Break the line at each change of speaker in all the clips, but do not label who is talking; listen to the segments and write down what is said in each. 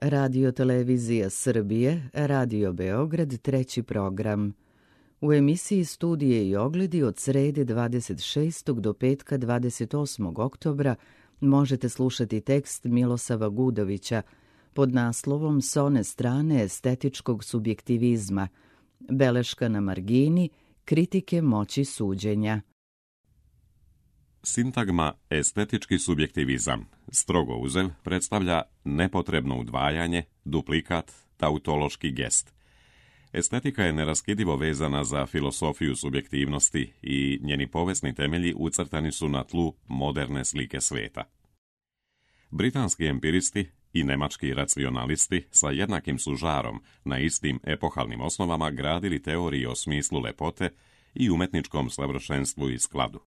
Radio Televizija Srbije, Radio Beograd, treći program. U emisiji Studije i ogledi od srede 26. do petka 28. oktobra možete slušati tekst Milosava Gudovića pod naslovom S one strane estetičkog subjektivizma, beleška na margini, kritike moći suđenja.
Sintagma estetički subjektivizam, strogo uzev, predstavlja nepotrebno udvajanje, duplikat, tautološki gest. Estetika je neraskidivo vezana za filosofiju subjektivnosti i njeni povijesni temelji ucrtani su na tlu moderne slike sveta. Britanski empiristi i nemački racionalisti sa jednakim su žarom na istim epohalnim osnovama gradili teorije o smislu lepote i umetničkom savršenstvu i skladu.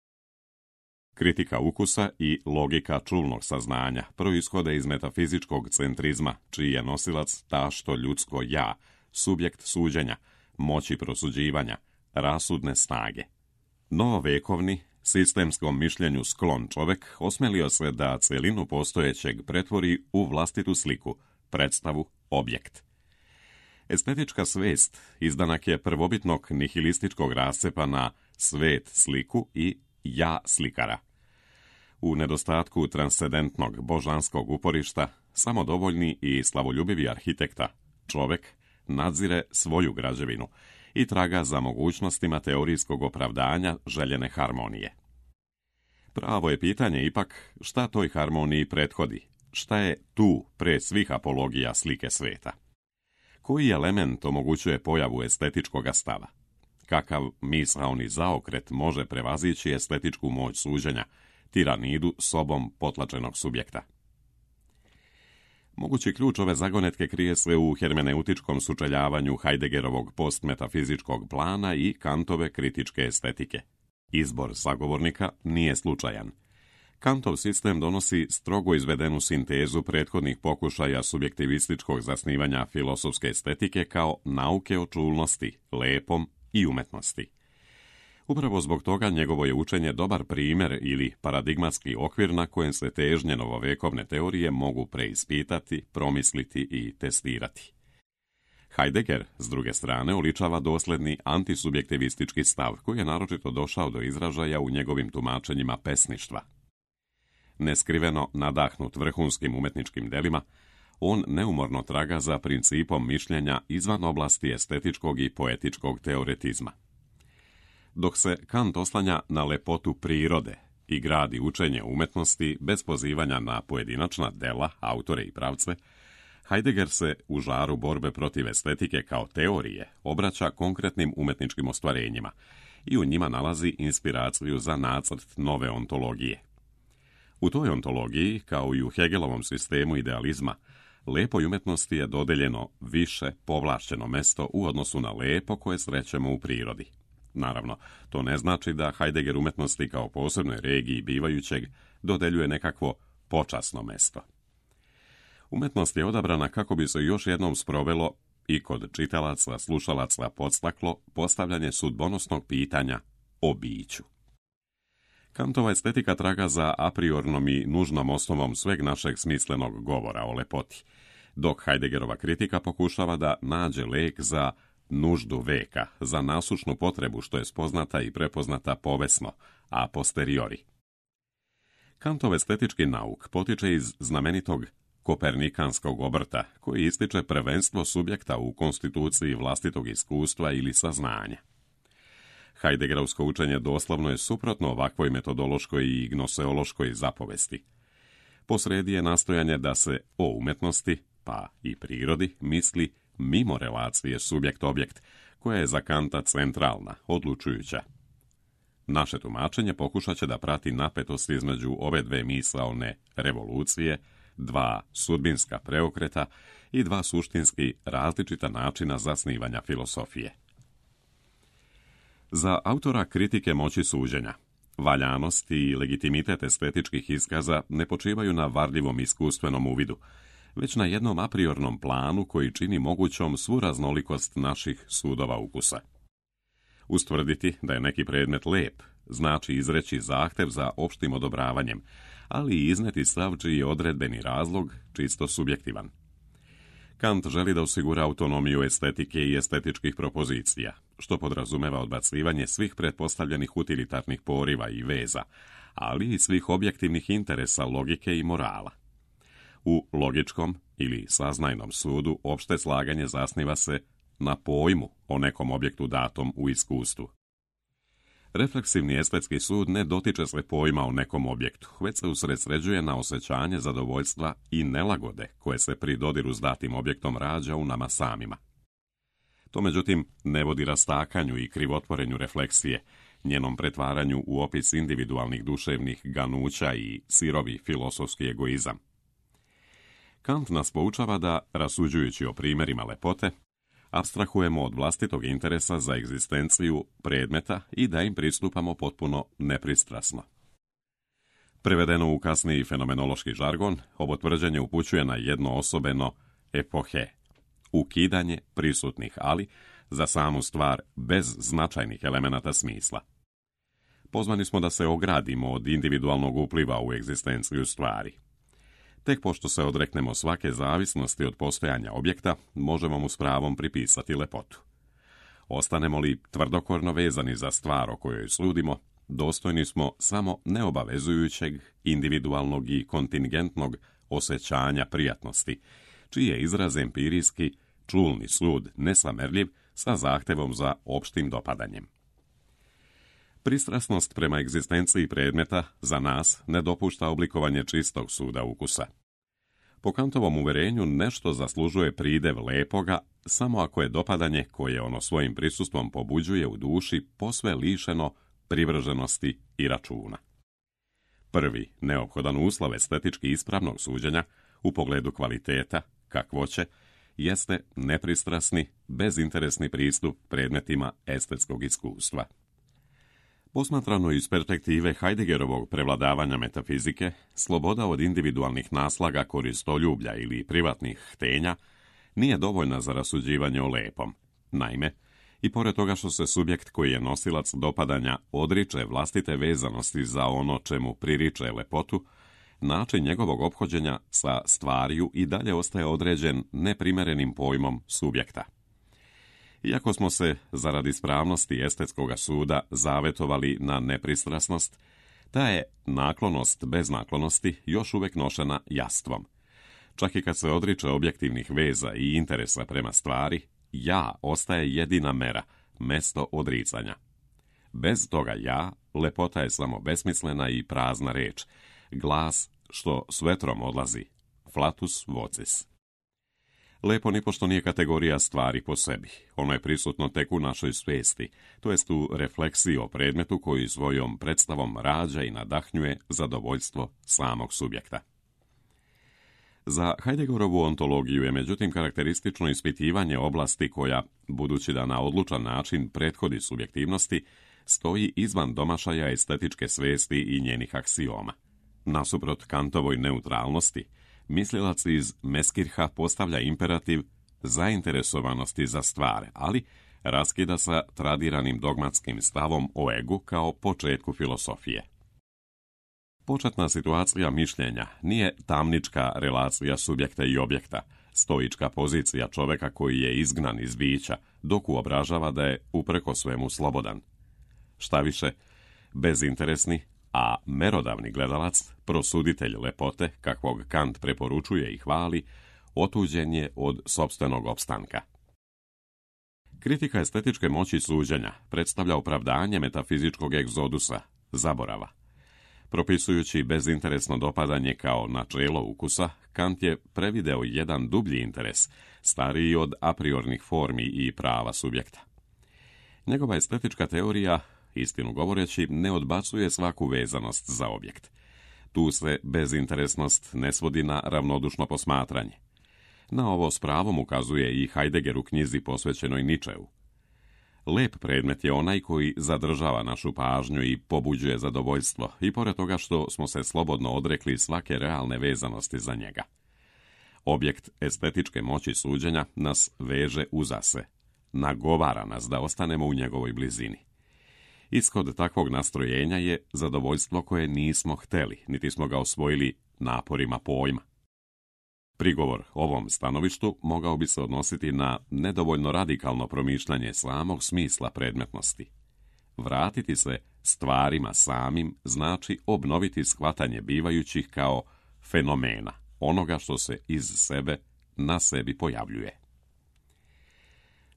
Kritika ukusa i logika čulnog saznanja proishode iz metafizičkog centrizma, čiji je nosilac tašto ljudsko ja, subjekt suđenja, moći prosuđivanja, rasudne snage. Novovekovni, sistemskom mišljenju sklon čovek osmelio se da celinu postojećeg pretvori u vlastitu sliku, predstavu, objekt. Estetička svest izdanak je prvobitnog nihilističkog rascepa na svet sliku i ja slikara. U nedostatku transcendentnog božanskog uporišta, samodovoljni i slavoljubivi arhitekta, čovek, nadzire svoju građevinu i traga za mogućnostima teorijskog opravdanja željene harmonije. Pravo je pitanje ipak šta toj harmoniji prethodi, šta je tu pre svih apologija slike sveta. Koji element omogućuje pojavu estetičkog stava? Kakav misaoni zaokret može prevazići estetičku moć suđenja, tiranidu sobom potlačenog subjekta? Mogući ključ ove zagonetke krije se u hermeneutičkom sučeljavanju Heideggerovog postmetafizičkog plana i Kantove kritičke estetike. Izbor sagovornika nije slučajan. Kantov sistem donosi strogo izvedenu sintezu prethodnih pokušaja subjektivističkog zasnivanja filosofske estetike kao nauke o čulnosti, lepom i umetnosti. Upravo zbog toga njegovo je učenje dobar primjer ili paradigmatski okvir na kojem se težnje novovekovne teorije mogu preispitati, promisliti i testirati. Heidegger, s druge strane, oličava dosledni antisubjektivistički stav koji je naročito došao do izražaja u njegovim tumačenjima pesništva. Neskriveno nadahnut vrhunskim umetničkim delima, on neumorno traga za principom mišljenja izvan oblasti estetičkog i poetičkog teoretizma. Dok se Kant oslanja na lepotu prirode i gradi učenje umetnosti bez pozivanja na pojedinačna dela, autore i pravce, Heidegger se u žaru borbe protiv estetike kao teorije obraća konkretnim umetničkim ostvarenjima i u njima nalazi inspiraciju za nacrt nove ontologije. U toj ontologiji, kao i u Hegelovom sistemu idealizma, lepoj umetnosti je dodeljeno više povlašćeno mesto u odnosu na lepo koje srećemo u prirodi. Naravno, to ne znači da Heidegger umetnosti kao posebnoj regiji bivajućeg dodeljuje nekakvo počasno mesto. Umetnost je odabrana kako bi se još jednom sprovelo i kod čitalaca, slušalaca podstaklo postavljanje sudbonosnog pitanja o biću. Kantova estetika traga za apriornom i nužnom osnovom sveg našeg smislenog govora o lepoti, dok Heideggerova kritika pokušava da nađe lek za nuždu veka, za nasušnu potrebu što je spoznata i prepoznata povesno, a posteriori. Kantov estetički nauk potiče iz znamenitog kopernikanskog obrta, koji ističe prvenstvo subjekta u konstituciji vlastitog iskustva ili saznanja. Heideggerovsko učenje doslovno je suprotno ovakvoj metodološkoj i gnoseološkoj zapovesti. Posredi je nastojanje da se o umetnosti, pa i prirodi, misli mimo relacije subjekt-objekt, koja je za Kanta centralna, odlučujuća. Naše tumačenje pokušat će da prati napetost između ove dve misaone revolucije, dva sudbinska preokreta i dva suštinski različita načina zasnivanja filosofije. Za autora kritike moći suđenja, valjanost i legitimitet estetičkih iskaza ne počivaju na varljivom iskustvenom uvidu, već na jednom apriornom planu koji čini mogućom svu raznolikost naših sudova ukusa. Ustvrditi da je neki predmet lep znači izreći zahtev za opštim odobravanjem, ali i izneti stav čiji je odredbeni razlog čisto subjektivan. Kant želi da osigura autonomiju estetike i estetičkih propozicija, što podrazumeva odbacivanje svih pretpostavljenih utilitarnih poriva i veza, ali i svih objektivnih interesa logike i morala. U logičkom ili saznajnom sudu opšte slaganje zasniva se na pojmu o nekom objektu datom u iskustvu. Refleksivni estetski sud ne dotiče se pojma o nekom objektu, već se usredsređuje na osjećanje zadovoljstva i nelagode koje se pri dodiru s datim objektom rađa u nama samima. To međutim ne vodi rastakanju i krivotvorenju refleksije, njenom pretvaranju u opis individualnih duševnih ganuća i sirovi filosofski egoizam. Kant nas poučava da, rasuđujući o primjerima lepote, apstrahujemo od vlastitog interesa za egzistenciju predmeta i da im pristupamo potpuno nepristrasno. Prevedeno u kasniji fenomenološki žargon, ovo tvrđenje upućuje na jednoosobeno epohe, ukidanje prisutnih, ali za samu stvar bez značajnih elemenata smisla. Pozvani smo da se ogradimo od individualnog upliva u egzistenciju stvari. Tek pošto se odreknemo svake zavisnosti od postojanja objekta, možemo mu s pravom pripisati lepotu. Ostanemo li tvrdokorno vezani za stvar o kojoj sludimo, dostojni smo samo neobavezujućeg, individualnog i kontingentnog osjećanja prijatnosti, čiji je izraz empirijski, čulni sud, nesamerljiv, sa zahtevom za opštim dopadanjem. Pristrasnost prema egzistenciji predmeta za nas ne dopušta oblikovanje čistog suda ukusa. Po Kantovom uverenju nešto zaslužuje pridev lepoga samo ako je dopadanje koje ono svojim prisustvom pobuđuje u duši posve lišeno privrženosti i računa. Prvi neophodan uslov estetički ispravnog suđenja u pogledu kvaliteta, kakvoće, jeste nepristrasni, bezinteresni pristup predmetima estetskog iskustva. Posmatrano iz perspektive Heideggerovog prevladavanja metafizike, sloboda od individualnih naslaga koristoljublja ili privatnih htenja nije dovoljna za rasuđivanje o lepom. Naime, i pored toga što se subjekt koji je nosilac dopadanja odriče vlastite vezanosti za ono čemu pririče lepotu, način njegovog ophođenja sa stvariju i dalje ostaje određen neprimerenim pojmom subjekta. Iako smo se, zaradi ispravnosti estetskoga suda, zavetovali na nepristrasnost, ta je naklonost bez naklonosti još uvijek nošena jastvom. Čak i kad se odriče objektivnih veza i interesa prema stvari, ja ostaje jedina mera, mesto odricanja. Bez toga ja, lepota je samo besmislena i prazna reč, glas što s vetrom odlazi, flatus vocis. Lepo nipošto nije kategorija stvari po sebi. Ono je prisutno tek u našoj svijesti, to jest u refleksiji o predmetu koji svojom predstavom rađa i nadahnjuje zadovoljstvo samog subjekta. Za Heideggerovu ontologiju je međutim karakteristično ispitivanje oblasti koja, budući da na odlučan način prethodi subjektivnosti, stoji izvan domašaja estetičke svijesti i njenih aksioma. Nasuprot Kantovoj neutralnosti, mislilac iz Meskirha postavlja imperativ zainteresovanosti za stvar, ali raskida sa tradiranim dogmatskim stavom o egu kao početku filosofije. Početna situacija mišljenja nije tamnička relacija subjekta i objekta, stoička pozicija čoveka koji je izgnan iz bića, dok uobražava da je upreko svemu slobodan. Štaviše, bezinteresni, a merodavni gledalac, prosuditelj lepote, kakvog Kant preporučuje i hvali, otuđen je od sopstvenog opstanka. Kritika estetičke moći suđenja predstavlja opravdanje metafizičkog egzodusa, zaborava. Propisujući bezinteresno dopadanje kao načelo ukusa, Kant je prevideo jedan dublji interes, stariji od apriornih formi i prava subjekta. Njegova estetička teorija, istinu govoreći, ne odbacuje svaku vezanost za objekt. Tu se bezinteresnost ne svodi na ravnodušno posmatranje. Na ovo s pravom ukazuje i Heidegger u knjizi posvećenoj Ničeu. Lep predmet je onaj koji zadržava našu pažnju i pobuđuje zadovoljstvo, i pored toga što smo se slobodno odrekli svake realne vezanosti za njega. Objekt estetičke moći suđenja nas veže uza se, nagovara nas da ostanemo u njegovoj blizini. Ishod takvog nastrojenja je zadovoljstvo koje nismo hteli, niti smo ga osvojili naporima pojma. Prigovor ovom stanovištu mogao bi se odnositi na nedovoljno radikalno promišljanje samog smisla predmetnosti. Vratiti se stvarima samim znači obnoviti shvatanje bivajućih kao fenomena, onoga što se iz sebe na sebi pojavljuje.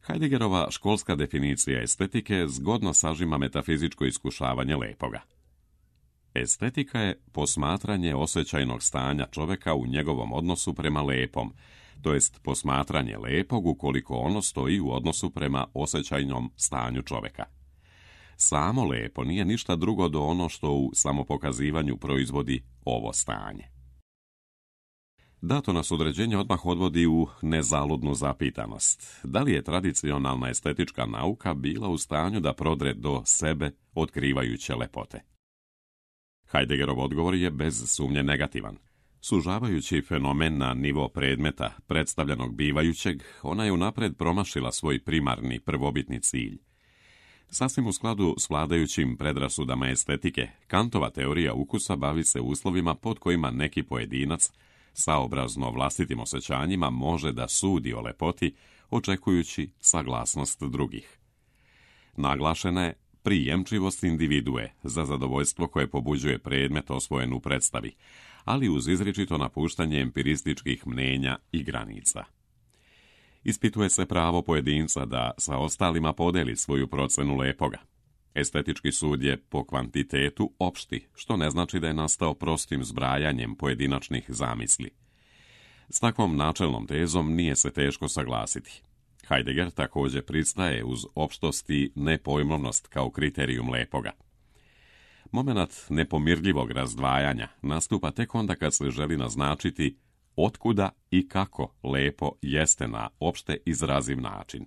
Heideggerova školska definicija estetike zgodno sažima metafizičko iskušavanje lepoga. Estetika je posmatranje osjećajnog stanja čovjeka u njegovom odnosu prema lepom, to jest posmatranje lepog ukoliko ono stoji u odnosu prema osjećajnom stanju čovjeka. Samo lepo nije ništa drugo do ono što u samopokazivanju proizvodi ovo stanje. Dato nas određenje odmah odvodi u nezaludnu zapitanost. Da li je tradicionalna estetička nauka bila u stanju da prodre do sebe otkrivajuće lepote? Heideggerov odgovor je bez sumnje negativan. Sužavajući fenomen na nivo predmeta predstavljenog bivajućeg, ona je unapred promašila svoj primarni prvobitni cilj. Sasvim u skladu s vladajućim predrasudama estetike, Kantova teorija ukusa bavi se uslovima pod kojima neki pojedinac, saobrazno vlastitim osjećanjima, može da sudi o lepoti, očekujući saglasnost drugih. Naglašena je prijemčivost individue za zadovoljstvo koje pobuđuje predmet osvojen u predstavi, ali uz izričito napuštanje empirističkih mnenja i granica. Ispituje se pravo pojedinca da sa ostalima podeli svoju procenu lepoga. Estetički sud je po kvantitetu opšti, što ne znači da je nastao prostim zbrajanjem pojedinačnih zamisli. S takvom načelnom tezom nije se teško saglasiti. Heidegger također pristaje uz opštost i nepojmovnost kao kriterijum lepoga. Momenat nepomirljivog razdvajanja nastupa tek onda kad se želi naznačiti otkuda i kako lepo jeste na opšte izraziv način.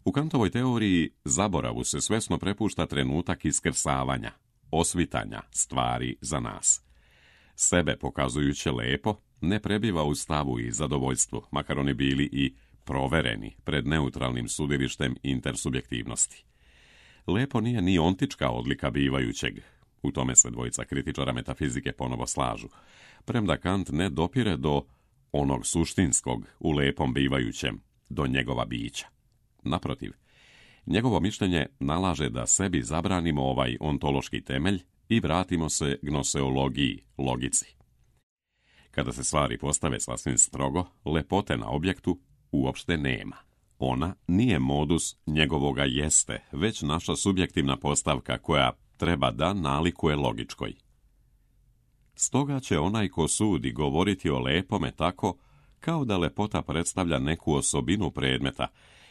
U Kantovoj teoriji zaboravu se svesno prepušta trenutak iskrsavanja, osvitanja stvari za nas. Sebe pokazujuće lepo ne prebiva u stavu i zadovoljstvu, makar oni bili i provereni pred neutralnim sudilištem intersubjektivnosti. Lepo nije ni ontička odlika bivajućeg, u tome se dvojica kritičara metafizike ponovo slažu, premda Kant ne dopire do onog suštinskog u lepom bivajućem, do njegova bića. Naprotiv, njegovo mišljenje nalaže da sebi zabranimo ovaj ontološki temelj i vratimo se gnoseologiji, logici. Kada se stvari postave sasvim strogo, lepote na objektu uopšte nema. Ona nije modus njegovoga jeste, već naša subjektivna postavka koja treba da nalikuje logičkoj. Stoga će onaj ko sudi govoriti o lepome tako kao da lepota predstavlja neku osobinu predmeta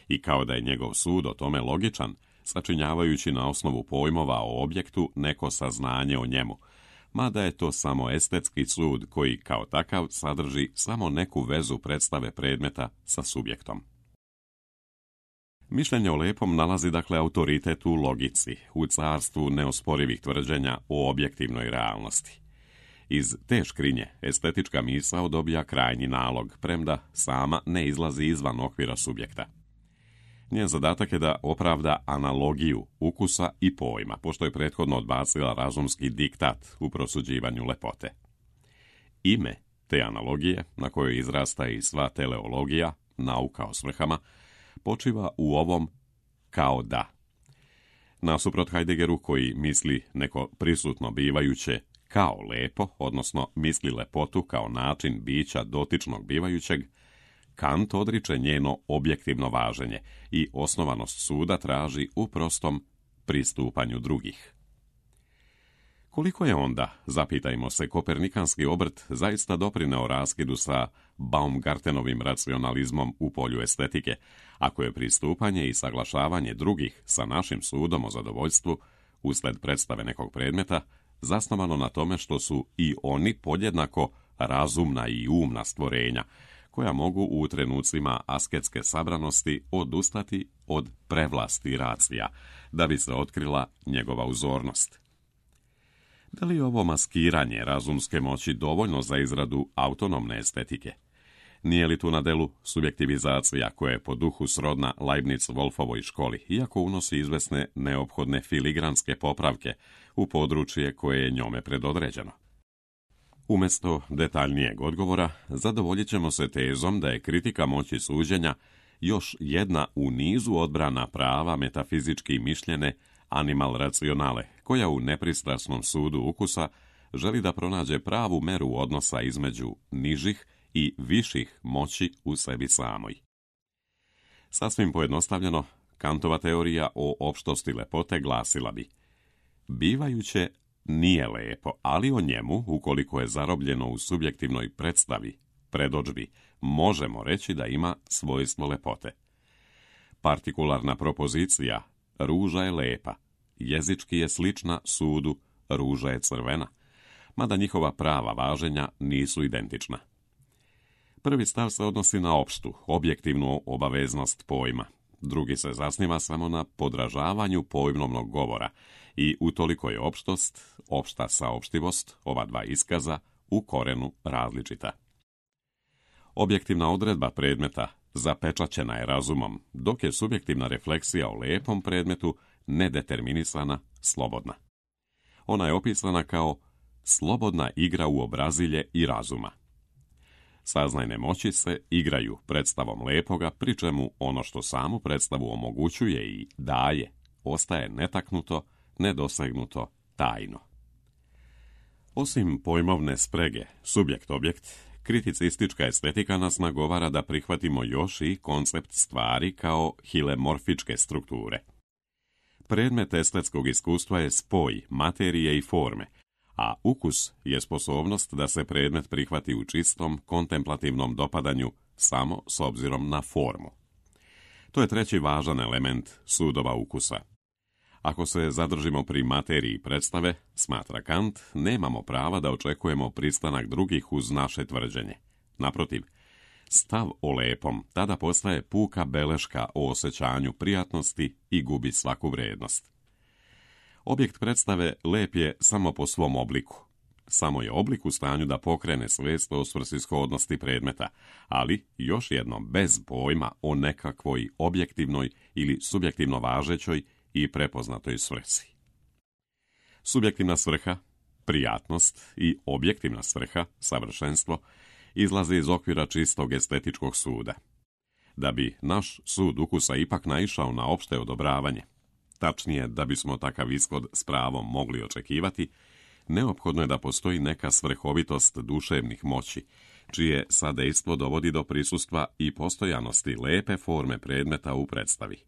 i kao da je njegov sud o tome logičan, sačinjavajući na osnovu pojmova o objektu neko saznanje o njemu, mada je to samo estetski sud koji kao takav sadrži samo neku vezu predstave predmeta sa subjektom. Mišljenje o lepom nalazi dakle autoritet u logici, u carstvu neosporivih tvrđenja o objektivnoj realnosti. Iz te škrinje estetička misao dobija krajnji nalog, premda sama ne izlazi izvan okvira subjekta. Njen zadatak je da opravda analogiju ukusa i pojma, pošto je prethodno odbacila razumski diktat u prosuđivanju lepote. Ime te analogije, na kojoj izrasta i sva teleologija, nauka o svrhama, počiva u ovom kao da. Nasuprot Heideggeru koji misli neko prisutno bivajuće kao lepo, odnosno misli lepotu kao način bića dotičnog bivajućeg, Kant odriče njeno objektivno važenje i osnovanost suda traži u prostom pristupanju drugih. Koliko je onda, zapitajmo se, kopernikanski obrt zaista doprineo raskidu sa Baumgartenovim racionalizmom u polju estetike, ako je pristupanje i saglašavanje drugih sa našim sudom o zadovoljstvu, usled predstave nekog predmeta, zasnovano na tome što su i oni podjednako razumna i umna stvorenja, koja mogu u trenucima asketske sabranosti odustati od prevlasti racija, da bi se otkrila njegova uzornost. Da li je ovo maskiranje razumske moći dovoljno za izradu autonomne estetike? Nije li tu na delu subjektivizacija koja je po duhu srodna Leibniz-Wolfovoj školi, iako unosi izvesne neophodne filigranske popravke u područje koje je njome predodređeno? Umjesto detaljnijeg odgovora, zadovoljit ćemo se tezom da je kritika moći suđenja još jedna u nizu odbrana prava metafizički mišljene animal racionale, koja u nepristrasnom sudu ukusa želi da pronađe pravu meru odnosa između nižih i viših moći u sebi samoj. Sasvim pojednostavljeno, Kantova teorija o opštosti lepote glasila bi: bivajuće nije lepo, ali o njemu, ukoliko je zarobljeno u subjektivnoj predstavi, predodžbi, možemo reći da ima svojstvo lepote. Partikularna propozicija ruža je lepa, jezički je slična sudu ruža je crvena, mada njihova prava važenja nisu identična. Prvi stav se odnosi na opštu, objektivnu obaveznost pojma. Drugi se zasniva samo na podražavanju pojmovnog govora i utoliko je opštost, opšta saopštivost, ova dva iskaza, u korenu različita. Objektivna odredba predmeta zapečaćena je razumom, dok je subjektivna refleksija o lepom predmetu nedeterminisana, slobodna. Ona je opisana kao slobodna igra u obrazilje i razuma. Saznajne moći se igraju predstavom lepoga, pri čemu ono što samu predstavu omogućuje i daje, ostaje netaknuto, nedosegnuto, tajno. Osim pojmovne sprege, subjekt-objekt, kriticistička estetika nas nagovara da prihvatimo još i koncept stvari kao hilemorfičke strukture. Predmet estetskog iskustva je spoj materije i forme, a ukus je sposobnost da se predmet prihvati u čistom, kontemplativnom dopadanju samo s obzirom na formu. To je treći važan element sudova ukusa. Ako se zadržimo pri materiji predstave, smatra Kant, nemamo prava da očekujemo pristanak drugih uz naše tvrđenje. Naprotiv, stav o lepom tada postaje puka beleška o osjećanju prijatnosti i gubi svaku vrijednost. Objekt predstave lep je samo po svom obliku. Samo je oblik u stanju da pokrene svijest o svrsishodnosti predmeta, ali još jednom bez pojma o nekakvoj objektivnoj ili subjektivno važećoj i prepoznatoj svrsi. Subjektivna svrha, prijatnost i objektivna svrha, savršenstvo, izlaze iz okvira čistog estetičkog suda. Da bi naš sud ukusa ipak naišao na opšte odobravanje, tačnije da bismo takav ishod s pravom mogli očekivati, neophodno je da postoji neka svrhovitost duševnih moći, čije sadejstvo dovodi do prisustva i postojanosti lepe forme predmeta u predstavi.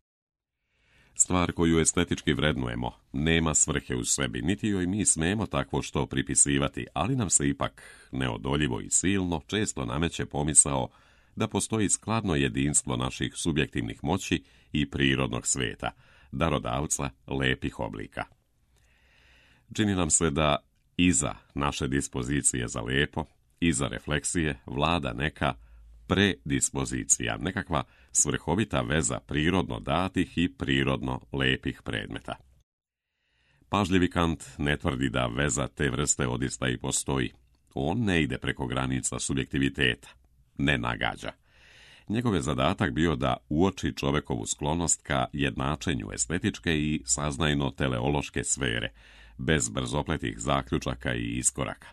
Stvar koju estetički vrednujemo nema svrhe u sebi, niti joj mi smemo takvo što pripisivati, ali nam se ipak neodoljivo i silno često nameće pomisao da postoji skladno jedinstvo naših subjektivnih moći i prirodnog sveta, darodavca lepih oblika. Čini nam se da iza naše dispozicije za lepo, iza refleksije vlada neka predispozicija, nekakva svrhovita veza prirodno datih i prirodno lepih predmeta. Pažljivi Kant ne tvrdi da veza te vrste odista i postoji. On ne ide preko granica subjektiviteta, ne nagađa. Njegov je zadatak bio da uoči čovekovu sklonost ka jednačenju estetičke i saznajno-teleološke sfere, bez brzopletih zaključaka i iskoraka.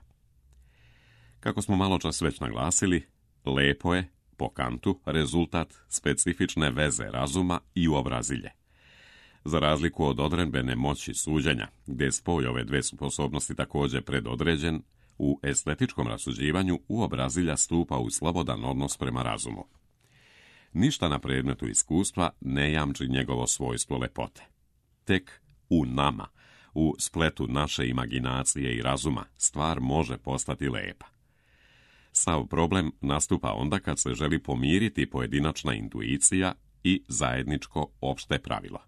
Kako smo maločas već naglasili, lepo je, po Kantu, rezultat specifične veze razuma i uobrazilje. Za razliku od odredbene moći suđenja, gdje spoj ove dve sposobnosti također predodređen, u estetičkom rasuđivanju uobrazilja stupa u slobodan odnos prema razumu. Ništa na predmetu iskustva ne jamči njegovo svojstvo lepote. Tek u nama, u spletu naše imaginacije i razuma, stvar može postati lepa. Sav problem nastupa onda kad se želi pomiriti pojedinačna intuicija i zajedničko opšte pravilo.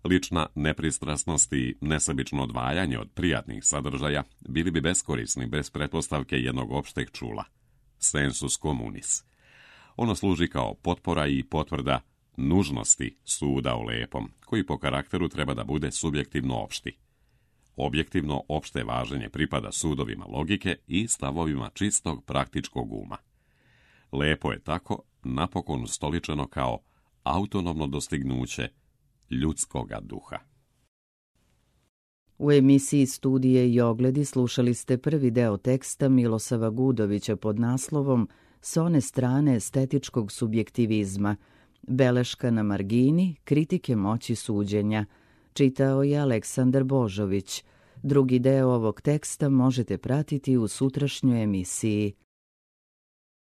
Lična nepristrasnost i nesebično odvajanje od prijatnih sadržaja bili bi beskorisni bez pretpostavke jednog opšteg čula, sensus communis. Ono služi kao potpora i potvrda nužnosti suda o lepom, koji po karakteru treba da bude subjektivno opšti. Objektivno opšte važenje pripada sudovima logike i stavovima čistog praktičkog uma. Lepo je tako napokon ustoličeno kao autonomno dostignuće ljudskoga duha.
U emisiji Studije i ogledi slušali ste prvi deo teksta Milosava Gudovića pod naslovom S one strane estetičkog subjektivizma, beleška na margini, kritike moći suđenja. Čitao je Aleksandar Božović. Drugi deo ovog teksta možete pratiti u sutrašnjoj emisiji.